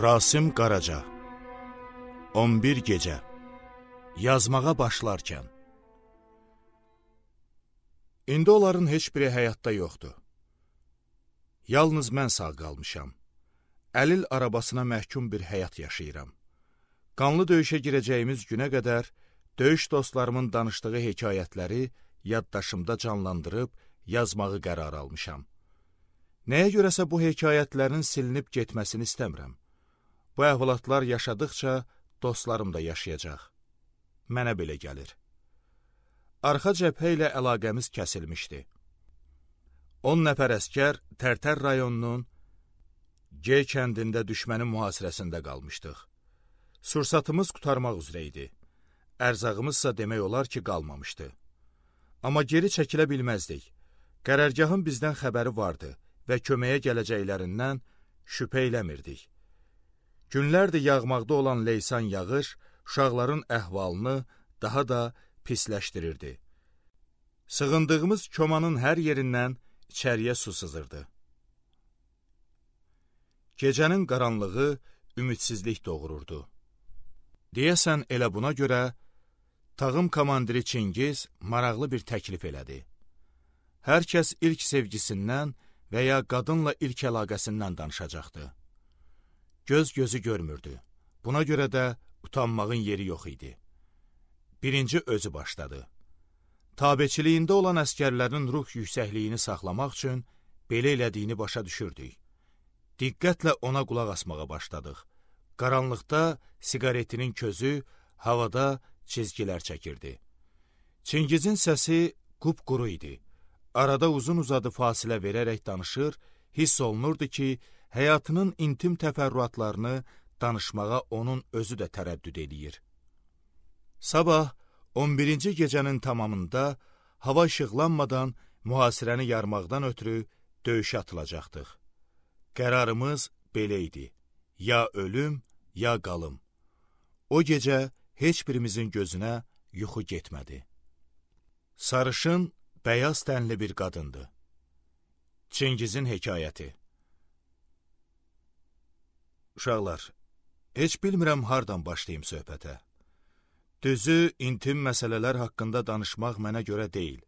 Rasim Qaraca 11 gecə yazmağa başlarkən. İndi onların heç biri həyatda yoxdur. Yalnız mən sağ qalmışam. Əlil arabasına məhkum bir həyat yaşayıram. Qanlı döyüşə girəcəyimiz günə qədər döyüş dostlarımın danışdığı hekayətləri yaddaşımda canlandırıb yazmağı qərar almışam. Nəyə görəsə bu hekayətlərin silinib getməsini istəmirəm. Bu əhvalatlar yaşadıqca dostlarım da yaşayacaq. Mənə belə gəlir. Arxa cəbhə ilə əlaqəmiz kəsilmişdi. 10 nəfər əskər Tərtər rayonunun G kəndində düşmənin mühasirəsində qalmışdıq. Sursatımız qurtarmaq üzrə idi. Ərzağımızsa demək olar ki, qalmamışdı. Amma geri çəkilə bilməzdik. Qərargahın bizdən xəbəri vardı və köməyə gələcəklərindən şübhə eləmirdik. Günlərdir yağmaqda olan leysan yağış uşaqların əhvalını daha da pisləşdirirdi. Sığındığımız komanın hər yerindən içəriyə su sızırdı. Gecənin qaranlığı ümidsizlik doğururdu. Deyəsən elə buna görə tağım komandiri Çingiz maraqlı bir təklif elədi. Hər kəs ilk sevgisindən və ya qadınla ilk əlaqəsindən danışacaqdı. Göz gözü görmürdü. Buna görə də utanmağın yeri yox idi. Birinci özü başladı. Tabeçiliyində olan əskərlərin ruh yüksəkliyini saxlamaq üçün belə elədiyini başa düşürdük. Diqqətlə ona qulaq asmağa başladıq. Qaranlıqda siqaretinin közü havada çizgilər çəkirdi. Çingizin səsi qupquru idi. Arada uzun-uzadı fasilə verərək danışır, hiss olunurdu ki, həyatının intim təfərrüatlarını danışmağa onun özü də tərəddüd edir. Sabah 11-ci gecənin tamamında hava işıqlanmadan mühasirəni yarmaqdan ötürü döyüşə atılacaqdıq. Qərarımız belə idi. Ya ölüm, ya qalım. O gecə heç birimizin gözünə yuxu getmədi. Sarışın, bəyaz tənli bir qadındı. Çingizin hekayəti. Uşaqlar, heç bilmirəm hardan başlayım söhbətə. Düzü, intim məsələlər haqqında danışmaq mənə görə deyil.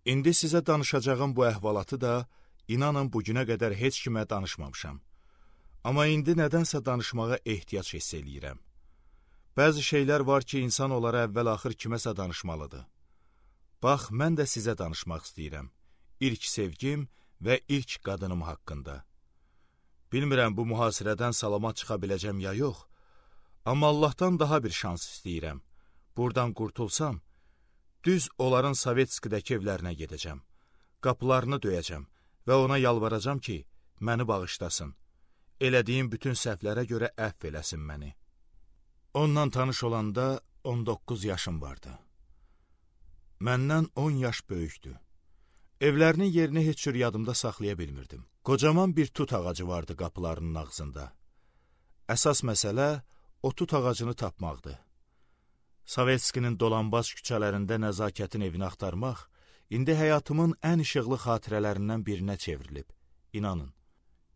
İndi sizə danışacağım bu əhvalatı da, inanın bugünə qədər heç kimə danışmamışam. Amma indi nədənsə danışmağa ehtiyac hiss eləyirəm. Bəzi şeylər var ki, insan onlara əvvəl-axır kiməsə danışmalıdır. Bax, mən də sizə danışmaq istəyirəm. İlk sevgim və ilk qadınım haqqında. Bilmirəm, bu mühasirədən salamat çıxa biləcəm ya yox, amma Allahdan daha bir şans istəyirəm. Buradan qurtulsam, düz onların Sovetskidəki evlərinə gedəcəm. Qapılarını döyəcəm və ona yalvaracam ki, məni bağışlasın. Elədiyim bütün səhvlərə görə əfv eləsin məni. Onunla tanış olanda 19 yaşım vardı. Məndən 10 yaş böyükdü. Evlərinin yerini heç cür yadımda saxlaya bilmirdim. Qocaman bir tut ağacı vardı qapılarının ağzında. Əsas məsələ o tut ağacını tapmaqdı. Sovetskinin dolanbac küçələrində nəzakətin evini axtarmaq indi həyatımın ən işıqlı xatirələrindən birinə çevrilib. İnanın.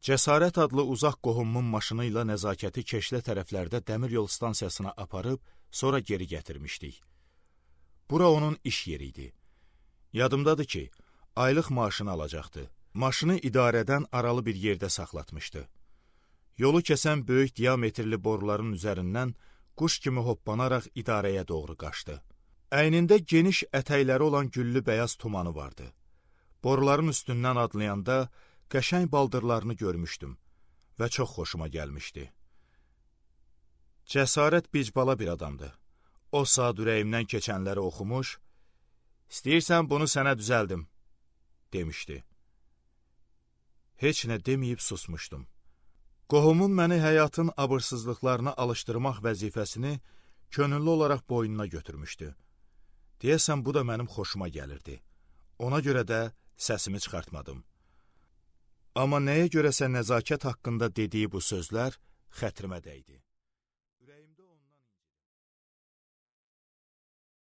Cəsarət adlı uzaq qohumumun maşını ilə nəzakəti Keşlə tərəflərdə dəmir yol stansiyasına aparıb, sonra geri gətirmişdik. Bura onun iş yeri idi. Yadımdadır ki, aylıq maaşını alacaqdı. Maşını idarədən aralı bir yerdə saxlatmışdı. Yolu kəsən böyük diametrli boruların üzərindən quş kimi hoppanaraq idarəyə doğru qaçdı. Əynində geniş ətəkləri olan güllü bəyaz tumanı vardı. Boruların üstündən adlayanda qəşəng baldırlarını görmüşdüm və çox xoşuma gəlmişdi. Cəsarət bicbala bir adamdı. O saat ürəyimdən keçənləri oxumuş, "İstəyirsən bunu sənə düzəldim," demişdi. Heç nə deməyib susmuşdum. Qohumun məni həyatın abırsızlıqlarına alışdırmaq vəzifəsini könüllü olaraq boynuna götürmüşdü. Deyəsən, bu da mənim xoşuma gəlirdi. Ona görə də səsimi çıxartmadım. Amma nəyə görəsə nəzakət haqqında dediyi bu sözlər xətrimə dəydi.